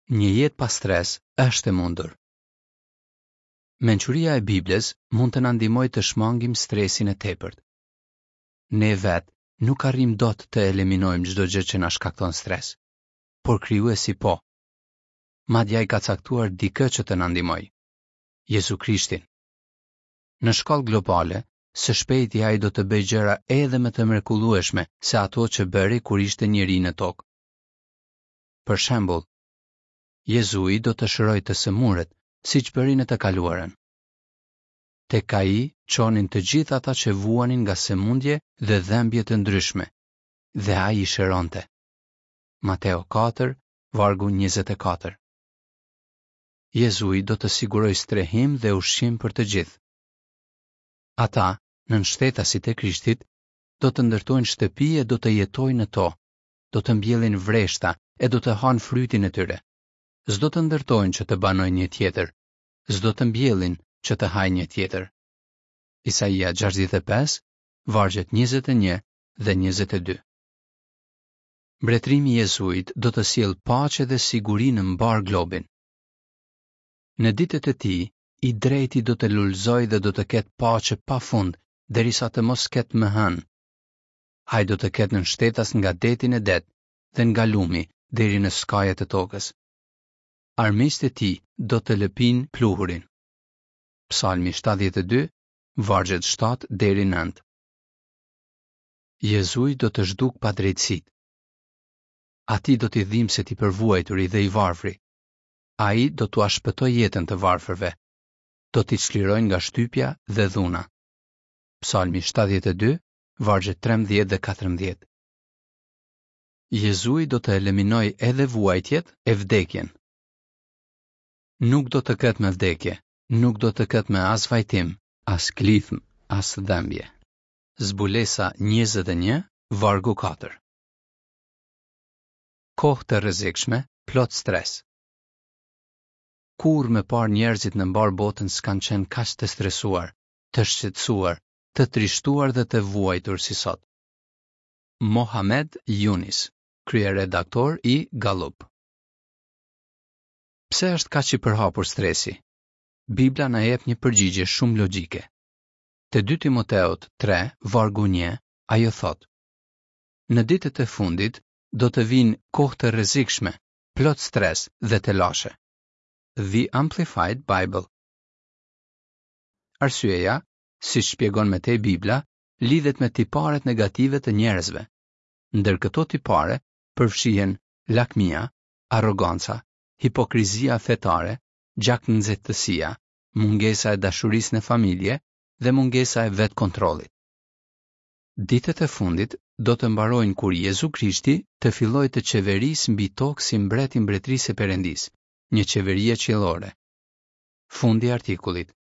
Një jetë pa stres është e mundur. Mençuria e Biblës mund të na ndihmojë të shmangim stresin e tepërt. Ne vetë nuk arrijmë dot të eliminojmë çdo gjë që na shkakton stres, por Krijuesi po. Madje ai ka caktuar dikë që të na ndihmojë, Jezu Krishtin. Në shkallë globale, së shpejti ai do të bëjë gjëra edhe më të mrekullueshme se ato që bëri kur ishte njeri në tokë. Për shembull, Jezui do të shërojë të sëmurët, siç bëri në të kaluarën. Tek ai çonin të gjithë ata që vuanin nga sëmundje dhe dhembje të ndryshme, dhe ai i shëronte. Mateo 4, vargu 24. Jezui do të sigurojë strehim dhe ushqim për të gjithë. Ata, nënshtetasit e Krishtit, do të ndërtojnë shtëpi e do të jetojnë në to, do të mbjellin vreshta e do të hanë frytin e tyre. S'do të ndërtojnë që të banojë një tjetër, s'do të mbjellin që të hajë një tjetër. Isaia 65, vargjet 21 dhe 22. Mbretërimi i Jezuit do të sjellë paqe dhe siguri në mbarë globin. Në ditët e tij, i drejti do të lulëzojë dhe do të ketë paqe pa fund, derisa të mos ketë më hënë. Ai do të ketë nënshtetas nga deti në det dhe nga lumi deri në skajet e tokës. Armiqtë e tij do të lëpijnë pluhurin. Psalmi 72, vargjet 7 deri 9. Jezui do të zhdukë padrejtësitë. Atij do t'i dhimbset i përvuajturi dhe i varfri. Ai do t'ua shpëtojë jetën të varfërve. Do t'i çlirojë nga shtypja dhe dhuna. Psalmi 72, vargjet 13 dhe 14. Jezui do të eliminojë edhe vuajtjet e vdekjen. Nuk do të ketë më vdekje, nuk do të ketë më as vajtim, as klithmë, as dhembje. Zbulesa 21, vargu 4. Kohë të rrezikshme, plot stres. Kurrë më parë njerëzit në mbarë botën s'kanë qenë kaq të stresuar, të shqetësuar, të trishtuar dhe të vuajtur si sot. Mohamed Younis, kryeredaktor i Gallup. Pse është kaq i përhapur stresi? Bibla na jep një përgjigje shumë logjike. Te 2 Timoteut 3, vargu 1, ajo thotë: Në ditët e fundit do të vijnë kohë të rrezikshme, plot stres dhe telashe. The Amplified Bible. Arsyeja, siç shpjegon më tej Bibla, lidhet me tiparet negative të njerëzve. Ndër këto tipare përfshihen lakmia, arroganca, hipokrizia fetare, gjaknxehtësia, mungesa e dashurisë në familje dhe mungesa e vetëkontrollit. Ditët e fundit do të mbarojnë kur Jezu Krishti të fillojë të qeverisë mbi tokë si mbret i Mbretërisë së Perëndisë, një qeverie qiellore. Fundi i artikullit.